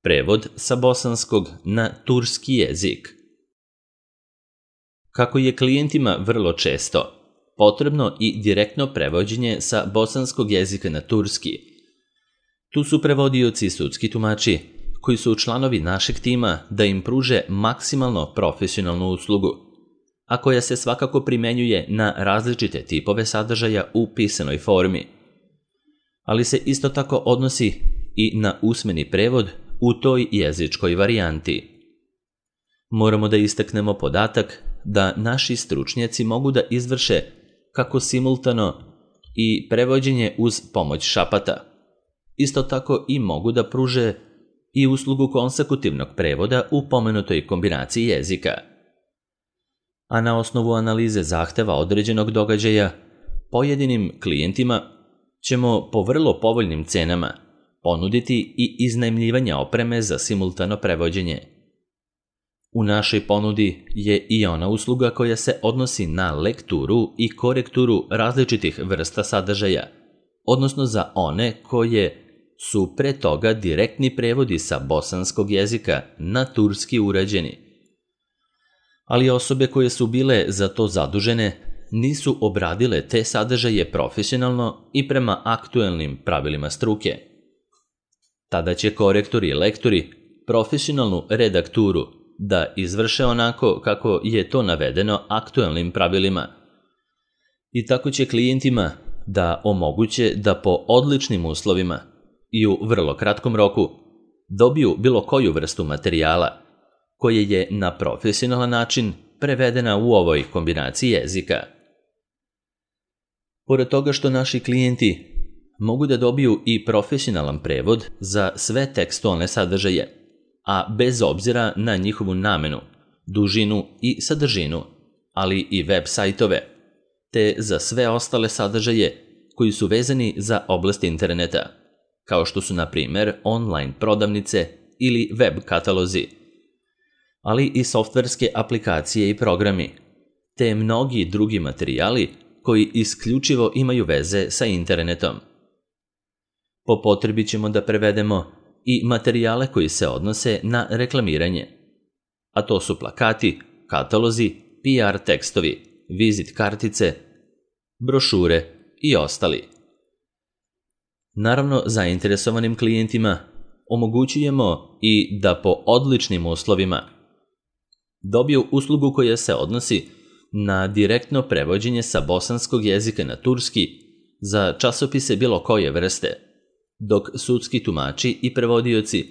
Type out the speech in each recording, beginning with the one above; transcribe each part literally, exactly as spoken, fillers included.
Prevod sa bosanskog na turski jezik. Kako je klijentima vrlo često potrebno i direktno prevođenje sa bosanskog jezika na turski, tu su prevodioci i sudski tumači koji su članovi našeg tima da im pruže maksimalno profesionalnu uslugu, a koja se svakako primenjuje na različite tipove sadržaja u pisanoj formi, ali se isto tako odnosi i na usmeni prevod u toj jezičkoj varijanti. Moramo da istaknemo podatak da naši stručnjaci mogu da izvrše kako simultano i prevođenje uz pomoć šapata. Isto tako i mogu da pruže i uslugu konsekutivnog prevoda u pomenutoj kombinaciji jezika. A na osnovu analize zahteva određenog događaja, pojedinim klijentima ćemo po vrlo povoljnim cenama ponuditi i iznajmljivanje opreme za simultano prevođenje. U našoj ponudi je i ona usluga koja se odnosi na lekturu i korekturu različitih vrsta sadržaja, odnosno za one koje su pre toga direktni prevodi sa bosanskog jezika na turski urađeni. Ali osobe koje su bile za to zadužene nisu obradile te sadržaje profesionalno i prema aktuelnim pravilima struke. Tada će korektori i lektori profesionalnu redakturu da izvrše onako kako je to navedeno aktuelnim pravilima. I tako će klijentima da omoguće da po odličnim uslovima i u vrlo kratkom roku dobiju bilo koju vrstu materijala koje je na profesionalan način prevedena u ovoj kombinaciji jezika. Pored toga što naši klijenti mogu da dobiju i profesionalan prevod za sve tekstualne sadržaje, a bez obzira na njihovu namenu, dužinu i sadržinu, ali i web sajtove, te za sve ostale sadržaje koji su vezani za oblast interneta, kao što su na primer online prodavnice ili web katalozi, ali i softverske aplikacije i programi, te mnogi drugi materijali koji isključivo imaju veze sa internetom. Po potrebi ćemo da prevedemo i materijale koji se odnose na reklamiranje, a to su plakati, katalozi, P R tekstovi, vizit kartice, brošure i ostali. Naravno, zainteresovanim klijentima omogućujemo i da po odličnim uslovima dobiju uslugu koja se odnosi na direktno prevođenje sa bosanskog jezika na turski za časopise bilo koje vrste, dok sudski tumači i prevodioci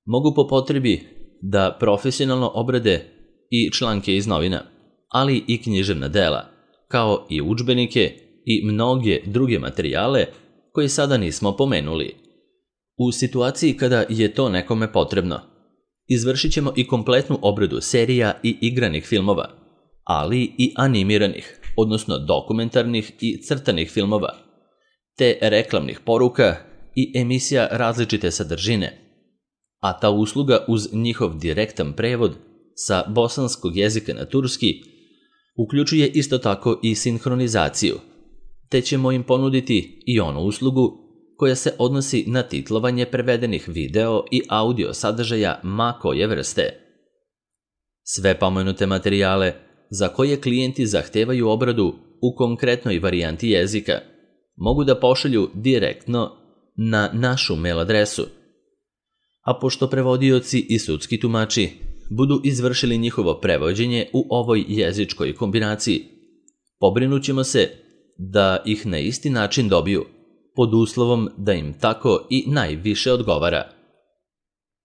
mogu po potrebi da profesionalno obrade i članke iz novina, ali i književna dela, kao i udžbenike i mnoge druge materijale koje sada nismo pomenuli. U situaciji kada je to nekome potrebno, izvršit ćemo i kompletnu obradu serija i igranih filmova, ali i animiranih, odnosno dokumentarnih i crtanih filmova, te reklamnih poruka i emisija različite sadržine, a ta usluga uz njihov direktan prevod sa bosanskog jezika na turski uključuje isto tako i sinhronizaciju, te ćemo im ponuditi i onu uslugu koja se odnosi na titlovanje prevedenih video i audio sadržaja ma koje vrste. Sve pomenute materijale za koje klijenti zahtevaju obradu u konkretnoj varijanti jezika mogu da pošalju direktno na našu mail adresu, a pošto prevodioci i sudski tumači budu izvršili njihovo prevođenje u ovoj jezičkoj kombinaciji, pobrinut ćemo se da ih na isti način dobiju, pod uslovom da im tako i najviše odgovara.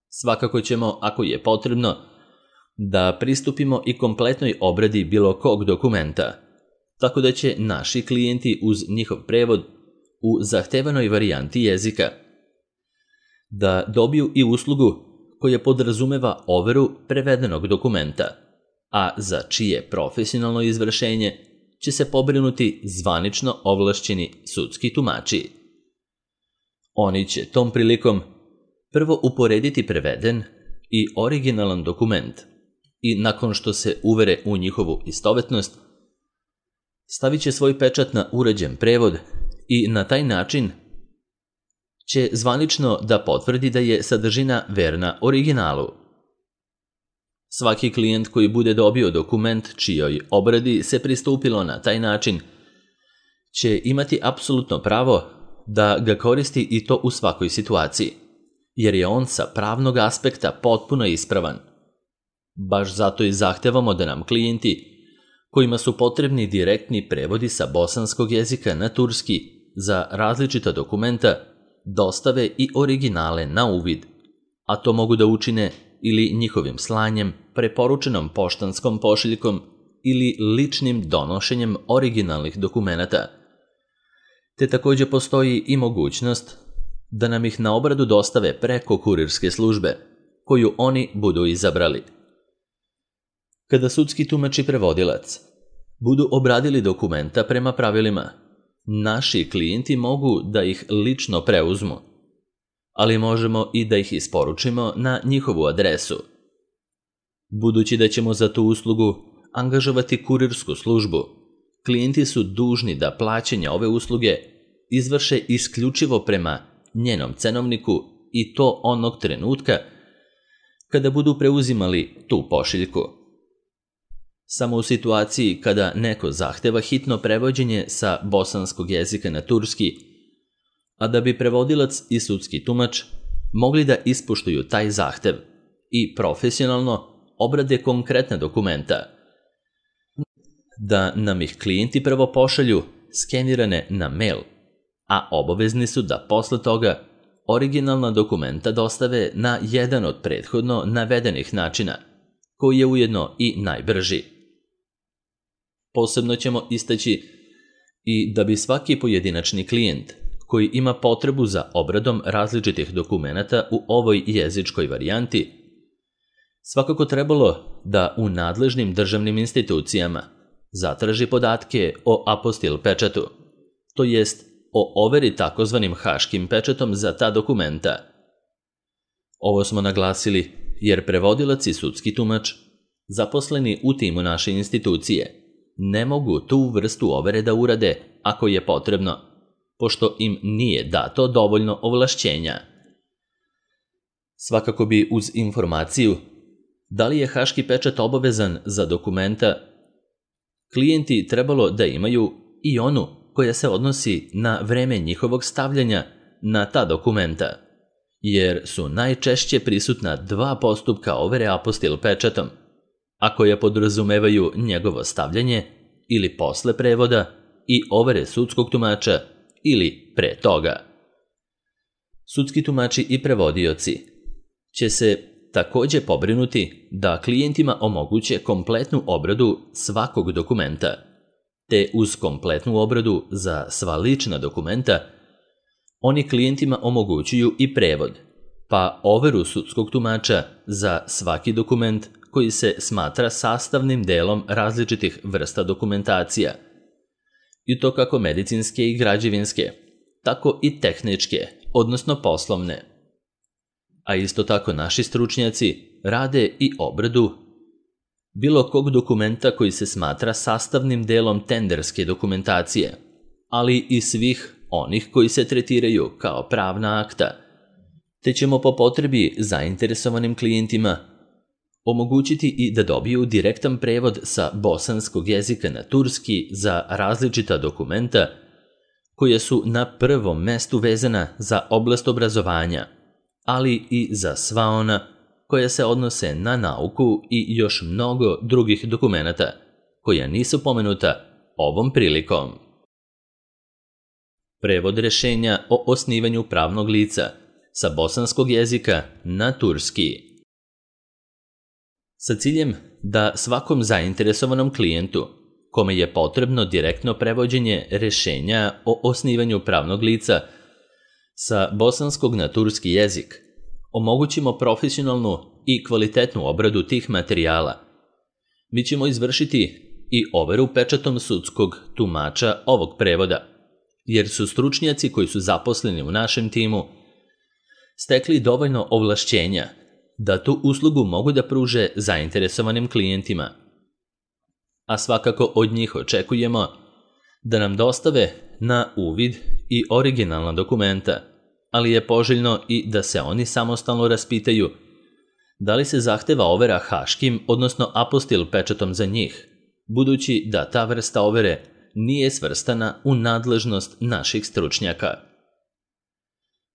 Svakako ćemo, ako je potrebno, da pristupimo i kompletnoj obradi bilo kog dokumenta, tako da će naši klijenti uz njihov prevod u zahtevanoj varijanti jezika da dobiju i uslugu koja podrazumeva overu prevedenog dokumenta, a za čije profesionalno izvršenje će se pobrinuti zvanično ovlašćeni sudski tumači. Oni će tom prilikom prvo uporediti preveden i originalan dokument i nakon što se uvere u njihovu istovetnost, stavit će svoj pečat na uređen prevod i na taj način će zvanično da potvrdi da je sadržina verna originalu. Svaki klijent koji bude dobio dokument čijoj obradi se pristupilo na taj način će imati apsolutno pravo da ga koristi i to u svakoj situaciji, jer je on sa pravnog aspekta potpuno ispravan. Baš zato i zahtevamo da nam klijenti kojima su potrebni direktni prevodi sa bosanskog jezika na turski za različita dokumenta dostave i originale na uvid, a to mogu da učine ili njihovim slanjem, preporučenom poštanskom pošiljkom ili ličnim donošenjem originalnih dokumenata. Te također postoji i mogućnost da nam ih na obradu dostave preko kurirske službe, koju oni budu izabrali. Kada sudski tumač i prevodilac budu obradili dokumenta prema pravilima, naši klijenti mogu da ih lično preuzmu, ali možemo i da ih isporučimo na njihovu adresu. Budući da ćemo za tu uslugu angažovati kurirsku službu, klijenti su dužni da plaćanje ove usluge izvrše isključivo prema njenom cenovniku i to onog trenutka kada budu preuzimali tu pošiljku. Samo u situaciji kada neko zahteva hitno prevođenje sa bosanskog jezika na turski, a da bi prevodilac i sudski tumač mogli da ispoštuju taj zahtev i profesionalno obrade konkretna dokumenta, da nam ih klijenti prvo pošalju skenirane na mail, a obavezni su da posle toga originalna dokumenta dostave na jedan od prethodno navedenih načina, koji je ujedno i najbrži. Posebno ćemo istaći i da bi svaki pojedinačni klijent koji ima potrebu za obradom različitih dokumenata u ovoj jezičkoj varijanti svakako trebalo da u nadležnim državnim institucijama zatraži podatke o apostil pečatu, to jest o overi takozvanim haškim pečatom za ta dokumenta. Ovo smo naglasili jer prevodilac i sudski tumač, zaposleni u timu naše institucije, ne mogu tu vrstu overe da urade ako je potrebno, pošto im nije dato dovoljno ovlašćenja. Svakako bi uz informaciju da li je haški pečat obavezan za dokumenta, klijenti trebalo da imaju i onu koja se odnosi na vreme njihovog stavljanja na ta dokumenta, jer su najčešće prisutna dva postupka overe apostil pečatom, a koja podrazumevaju njegovo stavljanje ili posle prevoda i overe sudskog tumača ili pre toga. Sudski tumači i prevodioci će se također pobrinuti da klijentima omoguće kompletnu obradu svakog dokumenta, te uz kompletnu obradu za sva lična dokumenta oni klijentima omogućuju i prevod, pa overu sudskog tumača za svaki dokument koji se smatra sastavnim delom različitih vrsta dokumentacija, i to kako medicinske i građevinske, tako i tehničke, odnosno poslovne. A isto tako naši stručnjaci rade i obradu bilo kog dokumenta koji se smatra sastavnim delom tenderske dokumentacije, ali i svih onih koji se tretiraju kao pravna akta, te ćemo po potrebi zainteresovanim klijentima omogućiti i da dobiju direktan prevod sa bosanskog jezika na turski za različita dokumenta koja su na prvom mestu vezana za oblast obrazovanja, ali i za sva ona koja se odnose na nauku i još mnogo drugih dokumenata koja nisu pomenuta ovom prilikom. Prevod rješenja o osnivanju pravnog lica sa bosanskog jezika na turski. Sa ciljem da svakom zainteresovanom klijentu kome je potrebno direktno prevođenje rješenja o osnivanju pravnog lica sa bosanskog na turski jezik omogućimo profesionalnu i kvalitetnu obradu tih materijala, mi ćemo izvršiti i overu pečatom sudskog tumača ovog prevoda, jer su stručnjaci koji su zaposleni u našem timu stekli dovoljno ovlašćenja da tu uslugu mogu da pruže zainteresovanim klijentima. A svakako od njih očekujemo da nam dostave na uvid i originalna dokumenta, ali je poželjno i da se oni samostalno raspitaju da li se zahteva overa haškim, odnosno apostil pečatom za njih, budući da ta vrsta overe nije svrstana u nadležnost naših stručnjaka.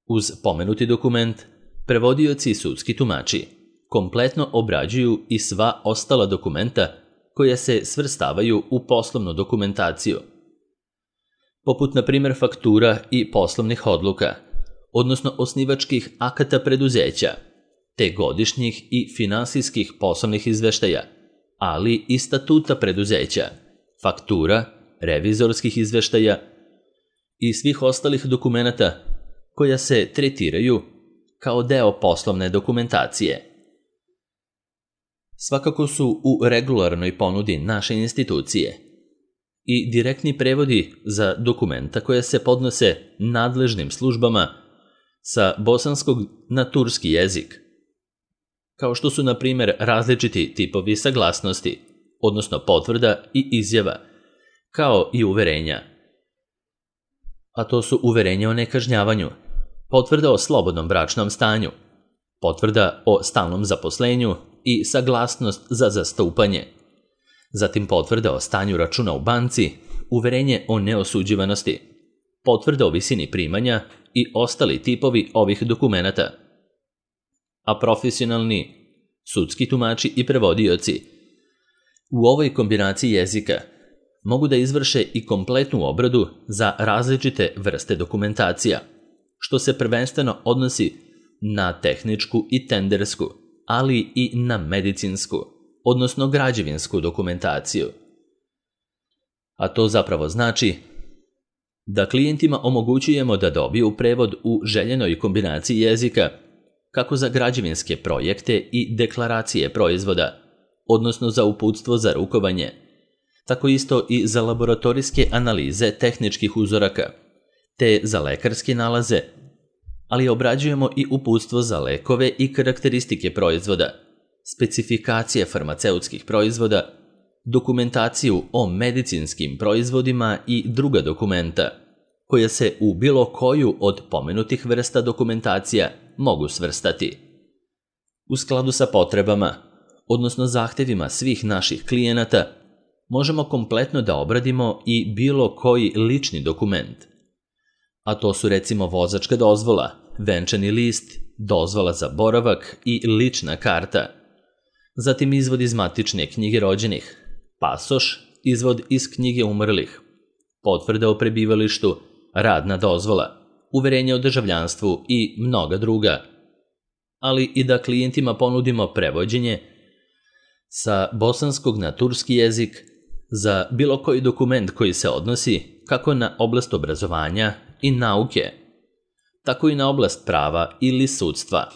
Uz pomenuti dokument, prevodioci i sudski tumači kompletno obrađuju i sva ostala dokumenta koja se svrstavaju u poslovnu dokumentaciju, poput na primjer faktura i poslovnih odluka, odnosno osnivačkih akata preduzeća, te godišnjih i finansijskih poslovnih izveštaja, ali i statuta preduzeća, faktura, revizorskih izveštaja i svih ostalih dokumenata koja se tretiraju kao deo poslovne dokumentacije. Svakako su u regularnoj ponudi naše institucije i direktni prevodi za dokumenta koja se podnose nadležnim službama sa bosanskog na turski jezik, kao što su na primjer različiti tipovi saglasnosti, odnosno potvrda i izjava, kao i uverenja. A to su uverenja o nekažnjavanju, potvrda o slobodnom bračnom stanju, potvrda o stalnom zaposlenju i saglasnost za zastupanje, zatim potvrda o stanju računa u banci, uverenje o neosuđivanosti, potvrda o visini primanja i ostali tipovi ovih dokumenata. A profesionalni sudski tumači i prevodioci u ovoj kombinaciji jezika mogu da izvrše i kompletnu obradu za različite vrste dokumentacija, što se prvenstveno odnosi na tehničku i tendersku, ali i na medicinsku, odnosno građevinsku dokumentaciju. A to zapravo znači da klijentima omogućujemo da dobiju prevod u željenoj kombinaciji jezika kako za građevinske projekte i deklaracije proizvoda, odnosno za uputstvo za rukovanje, tako isto i za laboratorijske analize tehničkih uzoraka, te za lekarske nalaze, ali obrađujemo i uputstvo za lekove i karakteristike proizvoda, specifikacije farmaceutskih proizvoda, dokumentaciju o medicinskim proizvodima i druga dokumenta, koja se u bilo koju od pomenutih vrsta dokumentacija mogu svrstati. U skladu sa potrebama, odnosno zahtevima svih naših klijenata, možemo kompletno da obradimo i bilo koji lični dokument. A to su recimo vozačka dozvola, venčani list, dozvola za boravak i lična karta. Zatim izvod iz matične knjige rođenih, pasoš, izvod iz knjige umrlih, potvrda o prebivalištu, radna dozvola, uverenje o državljanstvu i mnoga druga. Ali i da klijentima ponudimo prevođenje sa bosanskog na turski jezik za bilo koji dokument koji se odnosi kako na oblast obrazovanja i nauke, tako i na oblast prava ili sudstva.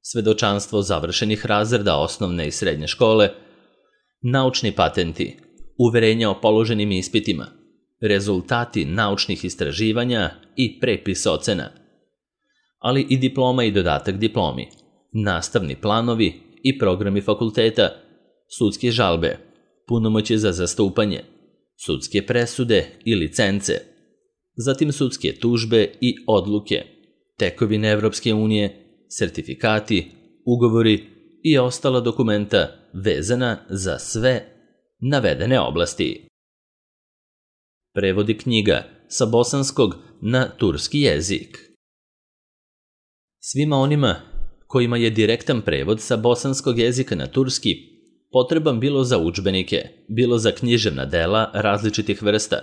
Svedočanstvo završenih razreda osnovne i srednje škole, naučni patenti, uverenja o položenim ispitima, rezultati naučnih istraživanja i prepis ocena, ali i diploma i dodatak diplomi, nastavni planovi i programi fakulteta, sudske žalbe, punomoćje za zastupanje, sudske presude i licence, zatim sudske tužbe i odluke, tekovine Evropske unije, sertifikati, ugovori i ostala dokumenta vezana za sve navedene oblasti. Prevodi knjiga sa bosanskog na turski jezik. Svima onima kojima je direktan prevod sa bosanskog jezika na turski potreban bilo za udžbenike, bilo za književna dela različitih vrsta,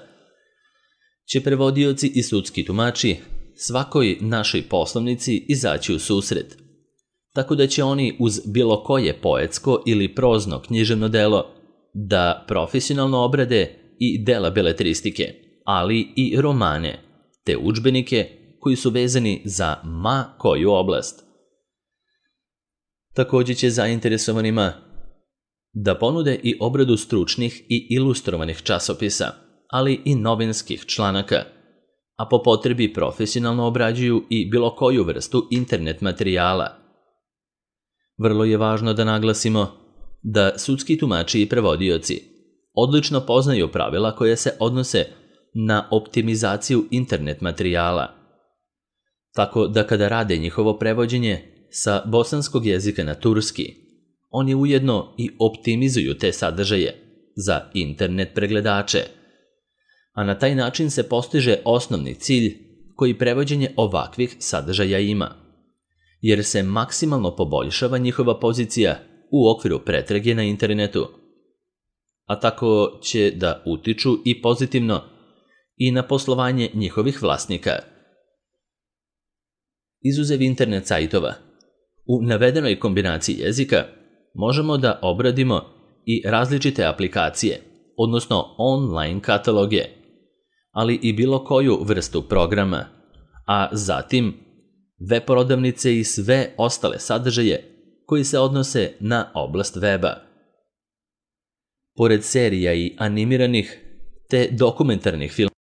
će prevodioci i sudski tumači svakoj našoj poslovnici izaći u susret, tako da će oni uz bilo koje poetsko ili prozno književno delo da profesionalno obrade i dela beletristike, ali i romane, te udžbenike koji su vezani za ma koju oblast. Također će zainteresovanima da ponude i obradu stručnih i ilustrovanih časopisa, ali i novinskih članaka, a po potrebi profesionalno obrađuju i bilo koju vrstu internet materijala. Vrlo je važno da naglasimo da sudski tumači i prevodioci odlično poznaju pravila koje se odnose na optimizaciju internet materijala. Tako da kada rade njihovo prevođenje sa bosanskog jezika na turski, oni ujedno i optimizuju te sadržaje za internet pregledače, a na taj način se postiže osnovni cilj koji prevođenje ovakvih sadržaja ima, jer se maksimalno poboljšava njihova pozicija u okviru pretrage na internetu, a tako će da utiču i pozitivno i na poslovanje njihovih vlasnika. Izuzev internet sajtova, u navedenoj kombinaciji jezika možemo da obradimo i različite aplikacije, odnosno online kataloge, ali i bilo koju vrstu programa, a zatim web prodavnice i sve ostale sadržaje koji se odnose na oblast weba. Pored serija i animiranih te dokumentarnih filmova,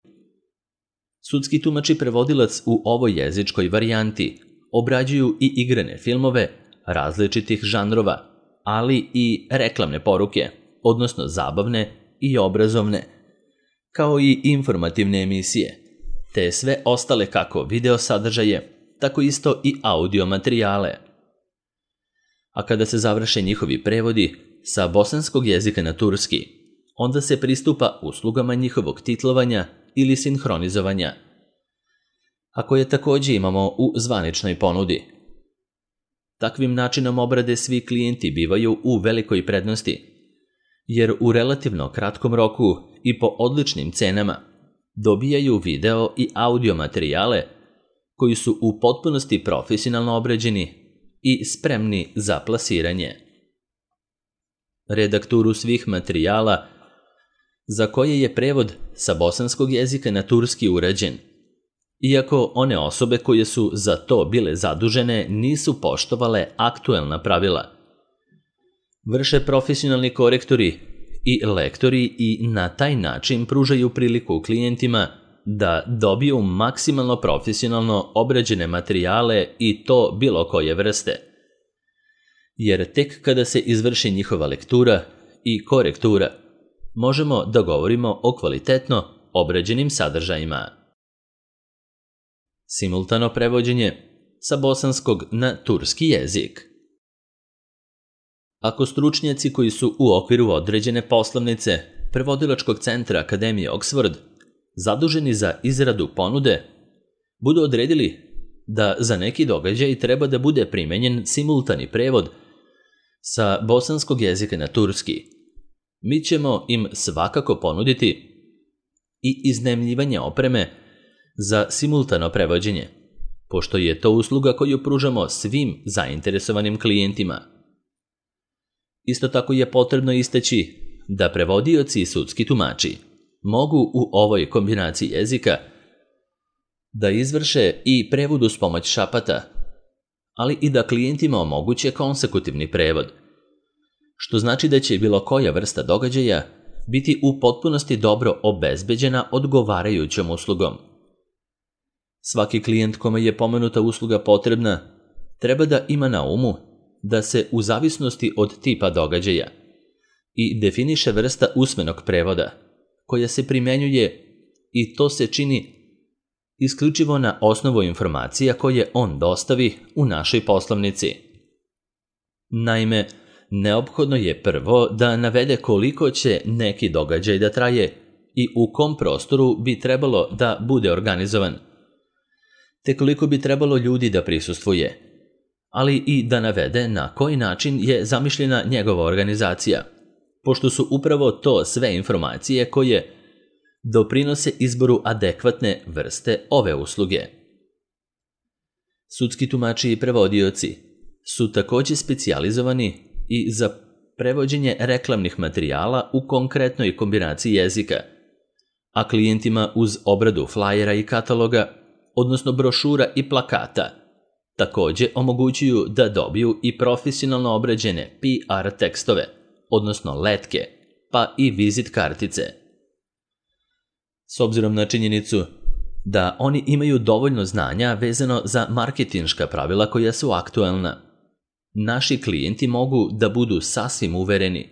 sudski tumač i prevodilac u ovoj jezičkoj varijanti obrađuju i igrane filmove različitih žanrova, ali i reklamne poruke, odnosno zabavne i obrazovne, kao i informativne emisije, te sve ostale kako video sadržaje, tako isto i audio materijale. A kada se završe njihovi prevodi sa bosanskog jezika na turski, onda se pristupa uslugama njihovog titlovanja ili sinhronizovanja, a koje također imamo u zvaničnoj ponudi. Takvim načinom obrade svi klijenti bivaju u velikoj prednosti, jer u relativno kratkom roku i po odličnim cenama dobijaju video i audio materijale koji su u potpunosti profesionalno obrađeni i spremni za plasiranje. Redakturu svih materijala za koje je prevod sa bosanskog jezika na turski urađen, iako one osobe koje su za to bile zadužene nisu poštovale aktuelna pravila. Vrše profesionalni korektori i lektori i na taj način pružaju priliku klijentima da dobiju maksimalno profesionalno obrađene materijale i to bilo koje vrste. Jer tek kada se izvrši njihova lektura i korektura, možemo da govorimo o kvalitetno obrađenim sadržajima. Simultano prevođenje sa bosanskog na turski jezik. Ako stručnjaci koji su u okviru određene poslovnice prevodilačkog centra Akademije Oxford zaduženi za izradu ponude, budu odredili da za neki događaj treba da bude primenjen simultani prevod sa bosanskog jezika na turski, mi ćemo im svakako ponuditi i iznajmljivanje opreme za simultano prevođenje, pošto je to usluga koju pružamo svim zainteresovanim klijentima. Isto tako je potrebno istaći da prevodioci i sudski tumači mogu u ovoj kombinaciji jezika da izvrše i prevod uz pomoć šapata, ali i da klijentima omoguće konsekutivni prevod, što znači da će bilo koja vrsta događaja biti u potpunosti dobro obezbeđena odgovarajućom uslugom. Svaki klijent kome je pomenuta usluga potrebna treba da ima na umu da se u zavisnosti od tipa događaja i definiše vrsta usmenog prevoda koja se primenjuje i to se čini isključivo na osnovu informacija koje on dostavi u našoj poslovnici. Naime, neophodno je prvo da navede koliko će neki događaj da traje i u kom prostoru bi trebalo da bude organizovan, te koliko bi trebalo ljudi da prisustvuje, ali i da navede na koji način je zamišljena njegova organizacija, pošto su upravo to sve informacije koje doprinose izboru adekvatne vrste ove usluge. Sudski tumači i prevodioci su također specijalizovani i za prevođenje reklamnih materijala u konkretnoj kombinaciji jezika, a klijentima uz obradu flajera i kataloga, odnosno brošura i plakata, također omogućuju da dobiju i profesionalno obrađene P R tekstove, odnosno letke, pa i vizit kartice. S obzirom na činjenicu da oni imaju dovoljno znanja vezano za marketinška pravila koja su aktuelna, naši klijenti mogu da budu sasvim uvereni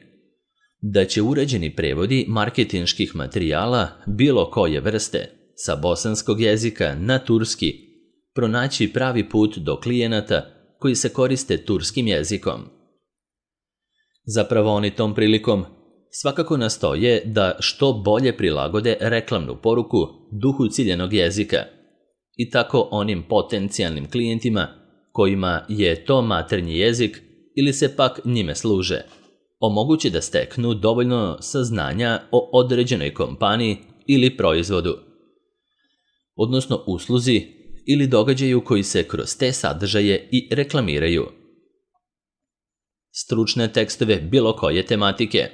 da će uređeni prevodi marketinških materijala bilo koje vrste sa bosanskog jezika na turski pronaći pravi put do klijenata koji se koriste turskim jezikom. Zapravo oni tom prilikom svakako nastoje da što bolje prilagode reklamnu poruku duhu ciljanog jezika i tako onim potencijalnim klijentima kojima je to maternji jezik ili se pak njime služe, omogući da steknu dovoljno saznanja o određenoj kompaniji ili proizvodu, odnosno usluzi ili događaju koji se kroz te sadržaje i reklamiraju. Stručne tekstove bilo koje tematike,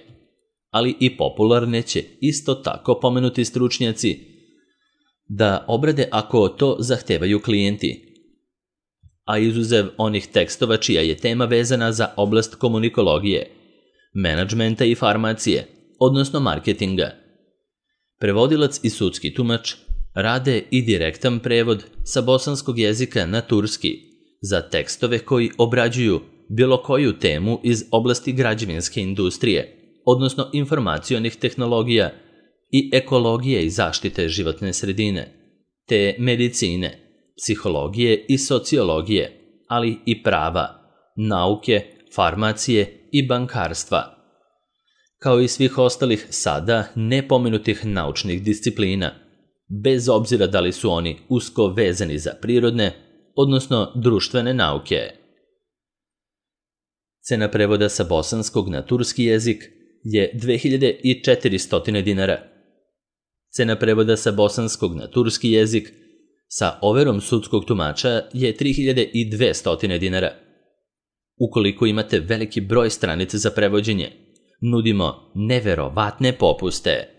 ali i popularne će isto tako pomenuti stručnjaci da obrade ako to zahtevaju klijenti, a izuzev onih tekstova čija je tema vezana za oblast komunikologije, menadžmenta i farmacije, odnosno marketinga. Prevodilac i sudski tumač rade i direktan prevod sa bosanskog jezika na turski za tekstove koji obrađuju bilo koju temu iz oblasti građevinske industrije, odnosno informacionih tehnologija i ekologije i zaštite životne sredine, te medicine, psihologije i sociologije, ali i prava, nauke, farmacije i bankarstva, kao i svih ostalih sada nepomenutih naučnih disciplina, bez obzira da li su oni usko vezani za prirodne, odnosno društvene nauke. Cena prevoda sa bosanskog na turski jezik je dve hiljade četiristo dinara. Cena prevoda sa bosanskog na turski jezik sa overom sudskog tumača je tri hiljade dvesta dinara. Ukoliko imate veliki broj stranica za prevođenje, nudimo neverovatne popuste.